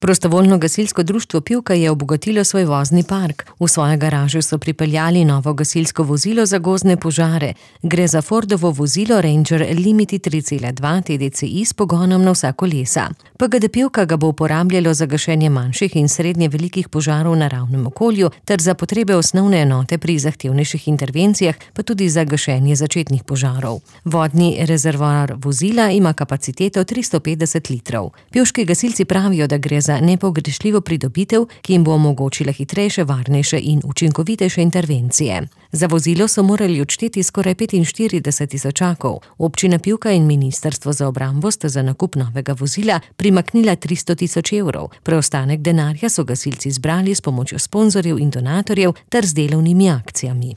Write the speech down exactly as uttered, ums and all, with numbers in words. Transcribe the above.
Prostovoljno gasilsko društvo Pivka je obogatilo svoj vozni park. V svojo garažo so pripeljali novo gasilsko vozilo za gozdne požare. Gre za Fordovo vozilo Ranger Limiti tri cela dva T D C I s pogonom na vsa kolesa. P G D Pivka ga bo uporabljalo za gašenje manjših in srednje velikih požarov v naravnem okolju ter za potrebe osnovne enote pri zahtevnejših intervencijah, pa tudi za gašenje začetnih požarov. Vodni rezervoar vozila ima kapaciteto tristo petdeset litrov. Pivški gasilci pravijo, da gre za za nepogrešljivo pridobitev, ki jim bo omogočila hitrejše, varnejše in učinkovitejše intervencije. Za vozilo so morali odšteti skoraj petinštirideset tisočakov. Občina Pivka in Ministrstvo za obrambo sta za nakup novega vozila primaknila tristo tisoč evrov. Preostanek denarja so gasilci zbrali s pomočjo sponzorjev in donatorjev ter z delovnimi akcijami.